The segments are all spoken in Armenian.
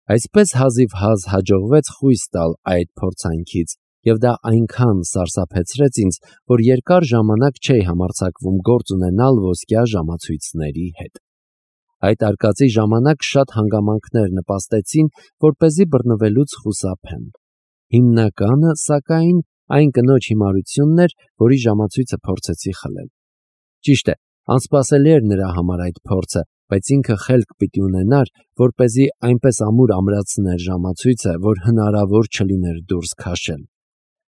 Այսպես հազիվ-հազ հաջողվեց խույս տալ այդ փորձանքից, եւ դա այնքան սարսափեցրեց ինձ, որ երկար ժամանակ չէի համարձակվում գործ ունենալ ոսկյա ժամացույցների հետ։ Այդ արկածի ժամանակ շատ հանգամանքներ նպաստեցին, որպեսզի բռնվելուց խուսափեմ։ Հիմնականը, սակայն, այն կնոջ հիմարությունն էր, որի ժամացույցը փորձեցի խլել։ Ճիշտ է, անսպասելի էր նրա համար այդ փորձը, բայց ինքը խելք պիտի ունենար, որպեսզի այնպես ամուր ամրացներ ժամացույցը, որ հնարավոր չլիներ դուրս քաշել։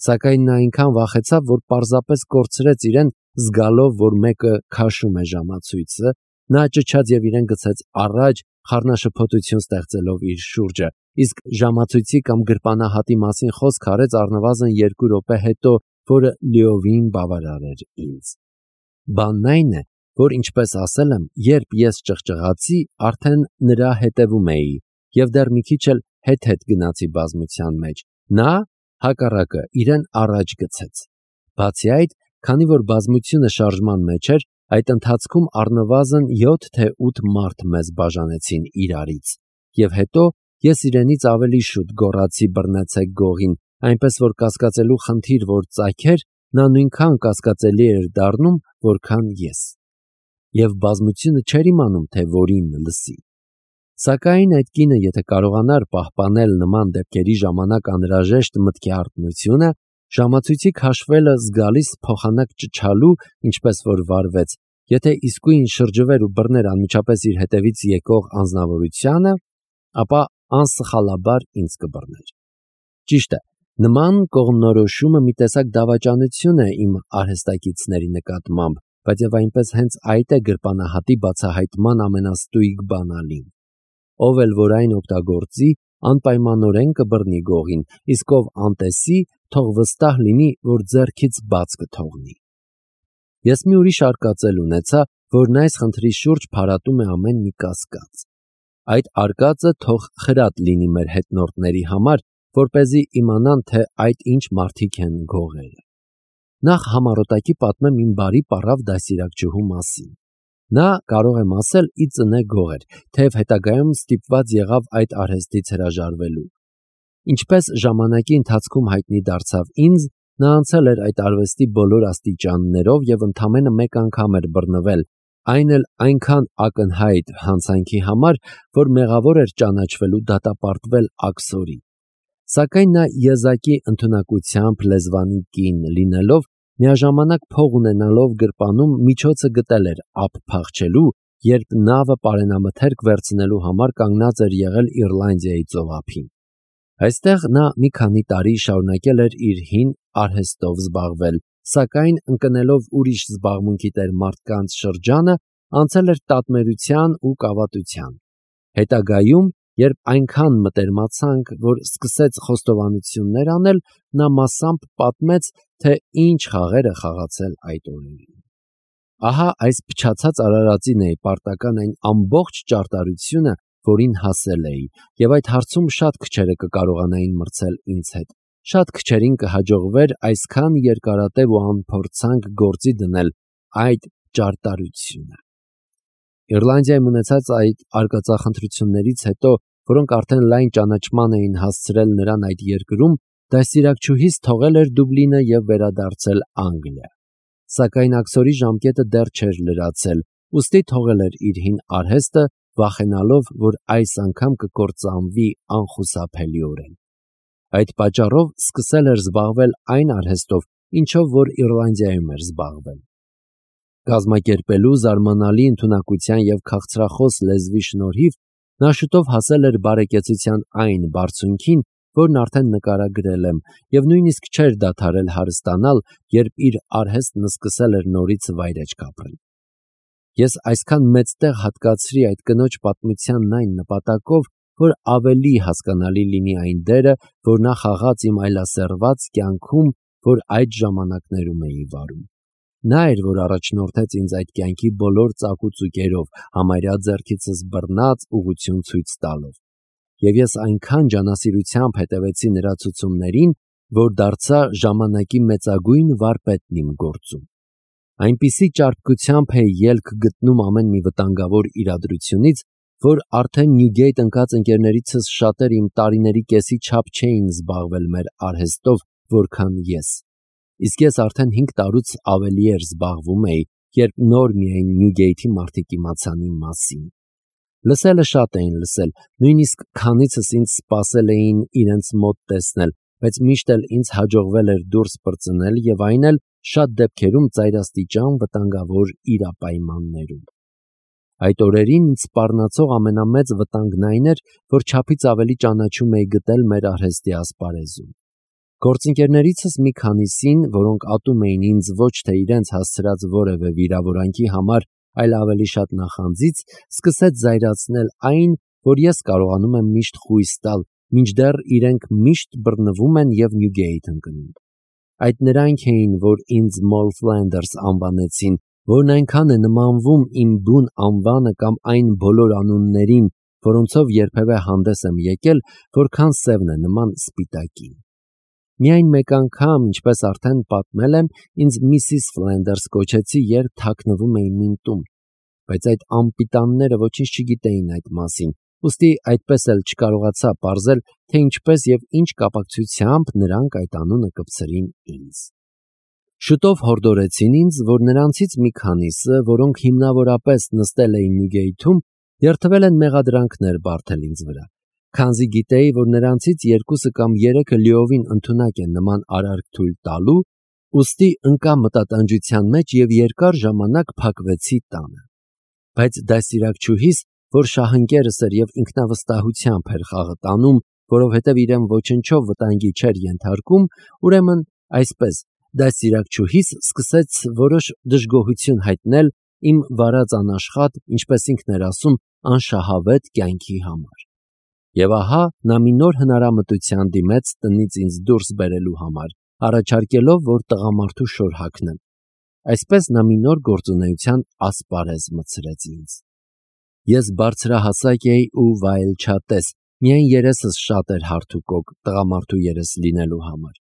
Սակայն նա այնքան վախեցավ, որ պարզապես կորցրեց իրեն, զգալով, որ մեկը քաշում է ժամացույցը, նա ճչաց եւ իրեն գցեց առաջ, խառնաշփոթություն ստեղծելով իր շուրջը, իսկ ժամացույցի կամ գրպանահատի մասին խոսք արեց առնվազն 2 րոպե հետո, որը լիովին բավարար էր ինձ։ Բանն այն է, որ ինչպես ասել եմ, երբ ես ճղճղացի, արդեն նրա հետևում էի եւ դեռ մի քիչ էլ հետ գնացի բազմության մեջ։ Նա հակառակը իրեն առաջ գցեց։ Բացի այդ, քանի որ բազմությունը շարժման մեջ էր, այդ ընթացքում առնվազն 7 թե 8 մարդ մեզ բաժանեցին իրարից, եւ հետո ես իրենից ավելի շուտ գոռացի բռնեցեք գողին, այնպես որ կասկածելու խնդիր որ ծագեր, նա նույնքան կասկածելի էր դառնում, որքան ես, եւ բազմությունը չէր իմանում, թե որին լսի։ Սակայն այդ կինը, եթե կարողանար պահպանել նման դեպքերի ժամանակ անհրաժեշտ մտքի արթնությունը, ժամացույցի քաշվելը զգալիս փոխանակ ճչալու, ինչպես որ վարվեց, եթե իսկույն շրջվեր ու բռներ անմիջապես իր հետևից եկող անձնավորությանը, ապա անսխալաբար ինձ կբռներ։ Ճիշտ է, նման կողմնորոշումը մի տեսակ դավաճանություն է իմ արհեստակիցների նկատմամբ, բայց եւ այնպես հենց այդ է գրպանահատի բացահայտման ամենաստույգ բանալին։ Ով էլ որ այն օգտագործի, անպայմանորեն կբռնի գողին, իսկ ով անտեսի, թող վստահ լինի, որ ձեռքից բաց կթողնի։ Ես մի ուրիշ արկածել ունեցա, որն այս խնդրի շուրջ փարատում է ամեն մի կասկած։ Այդ արկածը թող խրատ լինի մեր հետնորդների համար, որպեսզի իմանան, թե այդ ինչ մարդիկ են գողերը։ Նախ համառոտակի պատմեմ իմ բարի պառավ դասիրակչուհու մասին։ Նա, կարող եմ ասել, ի ծնե գող էր, թեև հետագայում ստիպված եղավ այդ արհեստից հրաժարվելու։ Ինչպես ժամանակի ընթացքում հայտնի դարձավ ինձ, նա անցել էր այդ արվեստի բոլոր աստիճաններով եւ ընդամենը մեկ անգամ էր բռնվել, այն էլ այնքան ակնհայտ հանցանքի համար, որ մեղավոր էր ճանաչվելու դատապարտվել աքսորի։ Սակայն նա եզակի ընդունակությամբ լեզվանի կին լինելով, միաժամանակ փող ունենալով գրպանում միջոցը գտել էր ափ փախչելու, երբ նավը պարենամթերք վերցնելու համար կանգնած էր եղել Իռլանդիայի ծովափին։ Այստեղ նա մի քանի տարի շարունակել էր իր հին արհեստով զբաղվել, սակայն ընկնելով ուրիշ զբաղմունքի տեր մարդկանց շրջանը, անցել էր տատմերության ու կավատության։ Հետագայում, երբ այնքան մտերմացանք, որ սկսեց խոստովանություններ անել, նա մասամբ պատմեց, թե ինչ խաղեր է խաղացել այդ օրերին։ Ահա այս փչացած արարածին էի պարտական այն ամբողջ ճարտարությունը, որին հասել էի, եւ այդ հարցում շատ քչերը կկարողանային մրցել ինձ հետ։ Շատ քչերին կհաջողվեր այսքան երկարատև ու անփորձանք գործի դնել այդ ճարտարությունը։ Իռլանդիայում ունեցած այդ արկածախնդրություններից հետո, որոնք արդեն լայն ճանաչման էին հասցրել նրան այդ երկրում, դաստիարակչուհիս թողել էր Դուբլինը եւ վերադարձել Անգլիա։ Սակայն աքսորի ժամկետը դեռ չէր լրացել, ուստի թողել էր իր հին արհեստը, վախենալով, որ այս անգամ կկործանվի անխուսափելիորեն։ Այդ պատճառով սկսել էր զբաղվել այն արհեստով, ինչով որ Իռլանդիայում էր զբաղվել։ Կազմակերպելու զարմանալի ընդունակության եւ քաղցրախոս լեզվի շնորհիվ նա շուտով հասել էր բարեկեցության այն բարձունքին, որն արդեն նկարագրել եմ, եւ նույնիսկ չէր դադարել հարստանալ, երբ իր արհեստն սկսել էր նորից վայրեջք ապրել։ Ես այսքան մեծ տեղ հատկացրի այդ կնոջ պատմությանն այն նպատակով, որ ավելի հասկանալի լինի այն դերը, որ նա խաղաց իմ այլասերված կյանքում, որ այդ ժամանակներում էի վարում։ Նա էր, որ առաջնորդեց ինձ այդ կյանքի բոլոր ծակուծուկերով, համարյա ձեռքիցս բռնած ուղղություն ցույց տալով։ Եվ ես այնքան ջանասիրությամբ հետևեցի նրա ցուցումներին, որ դարձա ժամանակի մեծագույն վարպետն իմ գործում։ Այնպիսի ճարպկությամբ էի ելք գտնում ամեն մի վտանգավոր իրադրությունից, որ արդեն Նյուգեյթ ընկած ընկերներիցս շատերը իմ տարիների կեսի չափ չէին զբաղվել մեր արհեստով, որքան ես։ Իսկ ես արդեն 5 տարուց ավելի էր զբաղվում էի, երբ նոր միայն Նյուգեյթի մարդիկ իմացան իմ մասին։ Լսելը շատ էին լսել, նույնիսկ քանիցս ինձ սպասել էին իրենց մոտ տեսնել, բայց միշտ էլ ինձ հաջողվել էր դուրս պրծնել եւ այն էլ շատ դեպքերում ծայրաստիճան վտանգավոր իրապայմաններում։ Այդ օրերին ինձ սպառնացող ամենամեծ վտանգն այն էր, որ չափից ավելի ճանաչում էի գտել մեր արհեստի ասպարեզում։ Գործընկերներիցս մի քանիսին, որոնք ատում էին ինձ ոչ թե իրենց հասցրած որևէ վիրավորանքի համար, այլ ավելի շատ նախանձից, սկսեց զայրացնել այն, որ ես կարողանում եմ միշտ խույս տալ, մինչդեռ իրենք միշտ բռնվում են եւ Նյուգեյթ ընկնում։ Այդ նրանք էին, որ ինձ Մոլ Ֆլանդերս անվանեցին, որն այնքան է նմանվում իմ բուն անվանը կամ այն բոլոր անուններին, որոնցով երբևէ հանդես եմ եկել, որքան սևն է նման սպիտակին։ Միայն մեկ անգամ, ինչպես արդեն պատմել եմ, ինձ Միսիս Ֆլանդերս կոչեցի, երբ թաքնվում էի իմ տուն, բայց այդ անպիտանները ոչինչ չգիտեին այդ մասին, ուստի այդպես էլ չկարողացա պարզել, թե ինչպես եւ ինչ կապակցությամբ նրանք այդ անունը կպցրին ինձ։ Շուտով հորդորեցին ինձ, որ նրանցից մի քանիսը, որոնք հիմնավորապես նստել էին Նյուգեյթում, երթվել են մեղադրանքներ բարթել ինձ վրա։ Քանզի գիտեի, որ նրանցից 2 կամ 3-ը լիովին ընդունակ են նման արարք թույլ տալու, ուստի ընկա մտատանջության մեջ եւ երկար ժամանակ փակվեցի տանը։ Բայց դասիրակչուհիս, որ շահընկերս էր եւ ինքնավստահությամբ էր խաղը տանում, որովհետեւ իրեն ոչնչով վտանգի չէր ենթարկում, ուրեմն այսպես դասիրակչուհիս սկսեց որոշ դժգոհություն հայտնել իմ վարած անաշխատ, ինչպես ինքն էր ասում, անշահավետ կյանքի համար։ Եվ ահա նա մի նոր հնարամտության դիմեց տնից ինձ դուրս բերելու համար, առաջարկելով, որ տղամարդու շոր հագնեմ։ Այսպես նա մի նոր գործունեության ասպարեզ մտցրեց ինձ։ Ես բարձրահասակ էի ու վայելչատես, միայն երեսս շատ էր հարթ ու կոկ տղամարդու երես լինելու համար։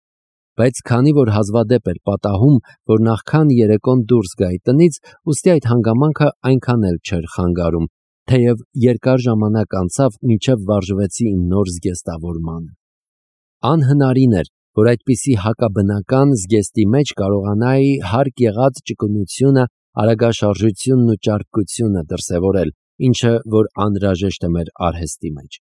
Բայց քանի որ հազվադեպ էր պատահում, որ նախքան երեկոն դուրս գայի տնից, ուստի այդ հանգամանքը այնքան էլ չէր խանգարում, թեև երկար ժամանակ անցավ, մինչև վարժվեցի իմ նոր զգեստավորմանը։ Անհնարին էր, որ այդպիսի հակաբնական զգեստի մեջ կարողանայի հարկ եղած ճկունությունը, արագաշարժությունն ու ճարպկությունը դրսևորել, ինչը որ անհրաժեշտ է մեր արհեստի մեջ։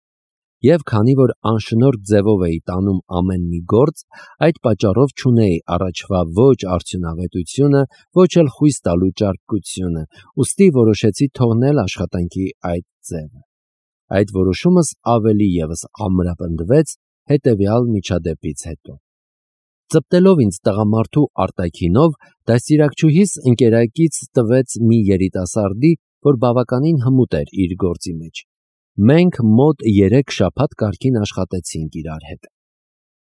Եվ քանի որ անշնորհք ձևով էի տանում ամեն մի գործ, այդ պատճառով չունեի առաջվա ոչ արդյունավետությունը, ոչ էլ խույս տալու ճարպկությունը, ուստի որոշեցի թողնել աշխատանքի այդ ձևը։ Այդ որոշումս ավելի եւս ամրապնդվեց հետևյալ միջադեպից հետո։ Ծպտելով ինձ տղամարդու արտաքինով, դաստիարակչուհիս ընկերակից տվեց մի երիտասարդի, որ բավականին հմուտ էր իր գործի մեջ։ Մենք մոտ 3 շաբաթ կարգին աշխատեցինք իրար հետ։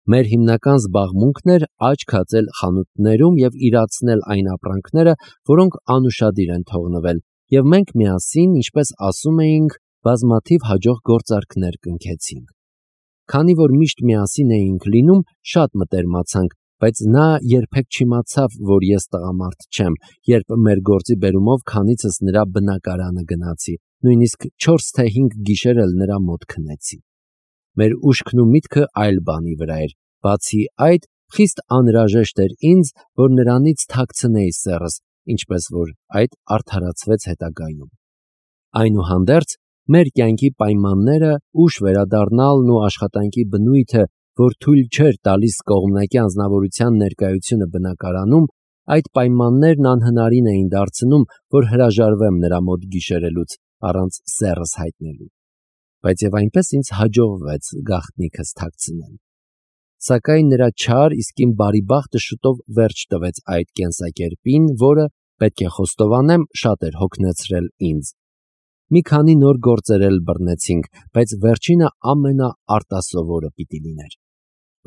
Մեր հիմնական զբաղմունքն էր աչք հացել խանութներում եւ իրացնել այն ապրանքները, որոնք անուշադիր են թողնվել, եւ մենք միասին, ինչպես ասում էինք, բազմաթիվ հաջող գործարքներ կնքեցինք։ Քանի որ միշտ միասին էինք լինում, շատ մտերմացանք, բայց նա երբեք չիմացավ, որ ես տղամարդ չեմ, երբ մեր գործի բերումով քանիցս նրա բնակարանը գնացի, նույնիսկ 4 թե 5 գիշեր էլ նրա մոտ քնեցի։ Մեր ուշքն ու միտքը այլ բանի վրա էր, բացի այդ, խիստ անհրաժեշտ էր ինձ, որ նրանից թաքցնեի սեռս, ինչպես որ այդ արդարացվեց հետագայում։ Այնուհանդերձ, մեր կյանքի պայմանները, ուշ վերադառնալն ու աշխատանքի բնույթը, որ թույլ չէր տալիս կողմնակի անձնավորության ներկայությունը բնակարանում, այդ պայմաններն անհնարին էին դարձնում, որ հրաժարվեմ նրա մոտ գիշերելուց առանց սեռս հայտնելու։ Բայց եւ այնպես ինձ հաջողվեց գաղտնիքս թաքցնել։ Սակայն նրա չար, իսկ իմ բարի բախտը շուտով վերջ տվեց այդ կենսակերպին, որը, պետք է խոստովանեմ, շատ էր հոգնեցրել ինձ։ Մի քանի նոր գործեր էլ բռնեցինք, բայց վերջինը ամենաարտասովորը պիտի լիներ։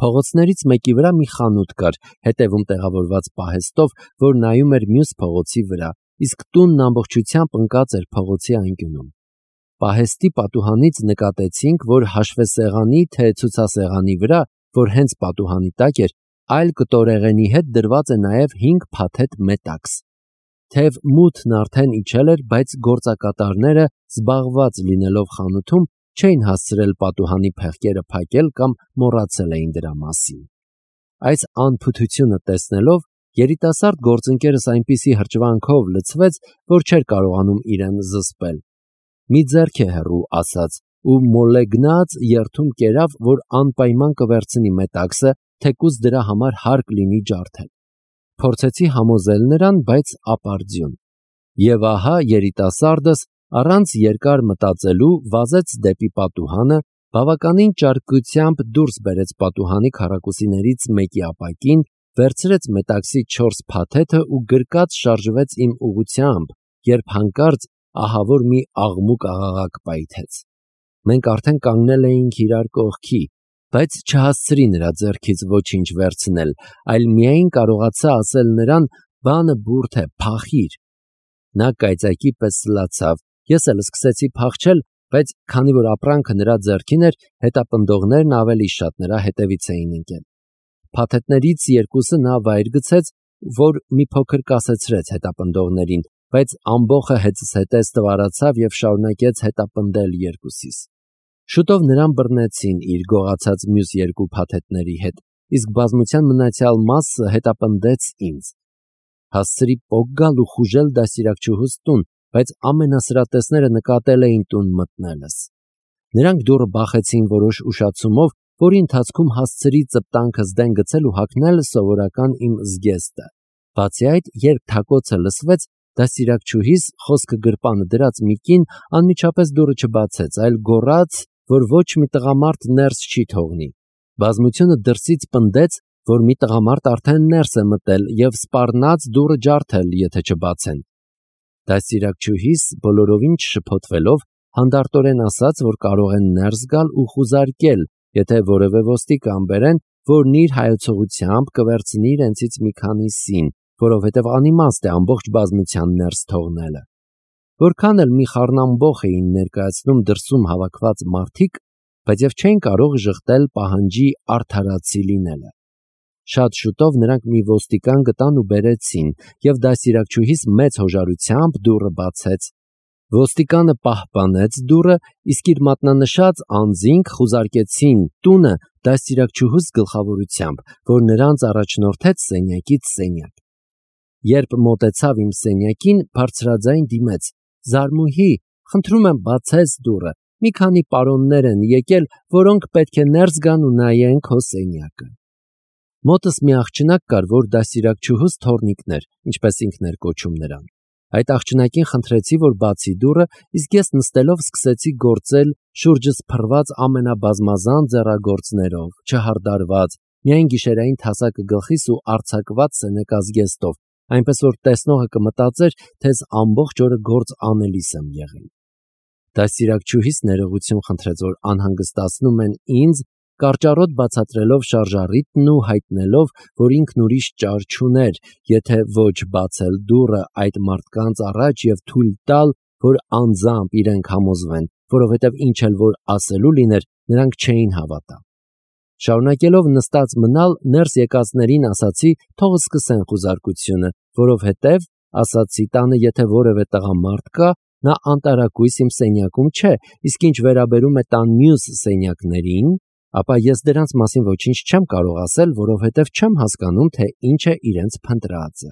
Փողոցներից մեկի վրա մի խանութ կար, հետևում տեղավորված պահեստով, որ նայում էր մյուս փողոցի վրա, իսկ տունն ամբողջությամբ ընկած էր փողոցի անկյունում։ Պահեստի պատուհանից նկատեցինք, որ հաշվեսեղանի թե ցուցասեղանի վրա, որ հենց պատուհանի տակ էր, այլ կտորեղենի հետ դրված է նաև 5 փաթեթ մետաքս։ Թեև մութն արդեն իջել էր, բայց գործակատարները զբաղված լինելով խանութում չէին հասցրել պատուհանի փեղկերը փակել կամ մոռացել էին դրա մասին։ Այս անփութությունը տեսնելով երիտասարդ գործընկերս այնպիսի հրճվանքով լցվեց, որ չէր կարողանում իրեն զսպել։ Մի ձեռք է հեռու ասաց ու մոլեգնած երթում կերավ, որ անպայման կվերցնի մետաքսը, թեկուզ դրա համար հարկ լինի ջարդել։ Փորձեցի համոզել նրան, բայց ապարդյուն։ Եվ ահա երիտասարդս առանց երկար մտածելու վազեց դեպի պատուհանը, բավականին ճարպկությամբ դուրս բերեց պատուհանի քառակուսիներից մեկի ապակին, վերցրեց մետաքսի 4 փաթեթը ու գրկած շարժվեց իմ ուղղությամբ, երբ հանկարծ ահավոր մի աղմուկ աղաղակ պայթեց։ Մենք արդեն կանգնել էինք իրար կողքի, բայց չհասցրի նրա ձեռքից ոչինչ վերցնել, այլ միայն կարողացա ասել նրան. «Բանը բուրդ է, փախիր»։ Նա կայծակի պես սլացավ, ես էլ սկսեցի փախչել, բայց քանի որ ապրանքը նրա ձեռքին էր, հետապնդողներն ավելի շատ նրա հետևից էին ընկել։ Փաթեթներից երկուսը նա վայր գցեց, որ մի փոքր կասեցրեց հետապնդողներին, բայց ամբողը հետզհետե ստվարացավ եւ շարունակեց հետապնդել երկուսիս։ Շուտով նրան բռնեցին իր գողացած մյուս երկու փաթեթների հետ, իսկ բազմության մնացյալ մասը հետապնդեց ինձ։ Հասցրի պոկ գալ ու խուժել դաստիարակչուհուս տուն, բայց ամենասրատեսները նկատել էին տուն մտնելս։ Նրանք դուռը բախեցին որոշ ուշացումով, որի ընթացքում հասցրի ծպտանքս դեն գցել ու հագնել սովորական իմ զգեստը։ Բացի այդ, երբ թակոցը լսվեց, դաստիարակչուհիս խոսքը գրպանը դրած մի կին անմիջապես դուռը չբացեց, այլ գոռաց, որ ոչ մի տղամարդ ներս չի թողնի։ Բազմությունը դրսից պնդեց, որ մի տղամարդ արդեն ներս է մտել եւ սպառնաց դուռը ջարդել, եթե չբացեն։ Դաստիարակչուհիս բոլորովին չշփոթվելով հանդարտորեն ասաց, որ կարող են ներս գալ ու խուզարկել, եթե որևէ ոստիկան բերեն, որն իր հայեցողությամբ կվերցնի իրենցից մի քանիսին, որովհետև անիմաստ է ամբողջ բազմության ներս թողնելը։ Որքան էլ մի խառնամբոխ էին ներկայացնում դրսում հավաքված մարդիկ, բայց եւ չէին կարող ժխտել պահանջի արդարացի լինելը։ Շատ շուտով նրանք մի ոստիկան գտան ու բերեցին, եւ դաստիարակչուհիս մեծ հոժարությամբ դուռը բացեց։ Ոստիկանը պահպանեց դուռը, իսկ իր մատնանշած անձինք խուզարկեցին տունը դաստիարակչուհուս գլխավորությամբ, որ նրանց առաջնորդեց սենյակից սենյակ։ Երբ մոտեցավ իմ սենյակին, բարձրաձայն դիմեց. «Զարմուհի, խնդրում եմ բացես դուռը, մի քանի պարոններ են եկել, որոնք պետք է ներս գան ու նայեն քո սենյակը»։ Մոտս մի աղջնակ կար, որ դաստիարակչուհուս թոռնիկն էր, ինչպես ինքն էր կոչում նրան։ Այդ աղջնակին խնդրեցի, որ բացի դուռը, իսկ ես նստելով սկսեցի գործել շուրջս փռված ամենաբազմազան ձեռագործներով, չհարդարված, միայն գիշերային թասակը գլխիս ու արձակված սենեկազգեստով, այնպես որ տեսնողը կմտածեր, թե ամբողջ օրը գործ անելիս եմ եղել։ Դաստիարակչուհիս ներողություն խնդրեց, որ անհանգստացնում են ինձ, կարճառոտ բացատրելով շարժառիթն ու հայտնելով, որ ինքն ուրիշ ճար չուներ, եթե ոչ բացել դուռը այդ մարդկանց առաջ եւ թույլ տալ, որ անձամբ իրենք համոզվեն, որովհետեւ ինչ էլ որ ասելու լիներ, նրանք չէին հավատա։ Շարունակելով նստած մնալ, ներս եկածներին ասացի, թող սկսեն խուզարկությունը, որովհետև, ասացի, տանը եթե որևէ տղամարդ կա, նա անտարակույս իմ սենյակում չէ, իսկ ինչ վերաբերում է տան մյուս սենյակներին, ապա ես դրանց մասին ոչինչ չեմ կարող ասել, որովհետև չեմ հասկանում, թե ինչ է իրենց փնտրածը։